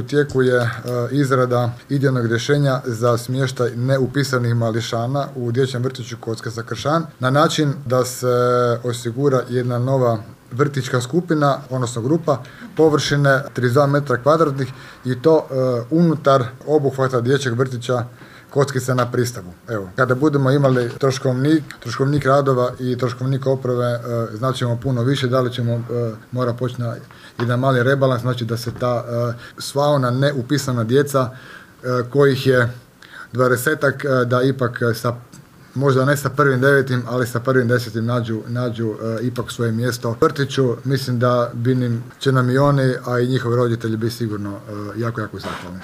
U tijeku je izrada idejnog rješenja za smještaj neupisanih mališana u dječjem vrtiću Kockaca Kršan na način da se osigura jedna nova vrtićka skupina, odnosno grupa, površine 32 metra kvadratnih i to unutar obuhvata dječjeg vrtića Kockica na Pristavu. Evo, kada budemo imali troškovnik radova i troškovnik oprave, znaćemo puno više, da li ćemo mora poći na jedan mali rebalans, znači da se ta sva ona neupisana djeca, kojih je 20-ak, da ipak možda ne sa 1.9., ali sa 1.10. nađu ipak svoje mjesto u vrtiću. Mislim da će nam i oni, a i njihovi roditelji biti sigurno jako, jako zahvalni.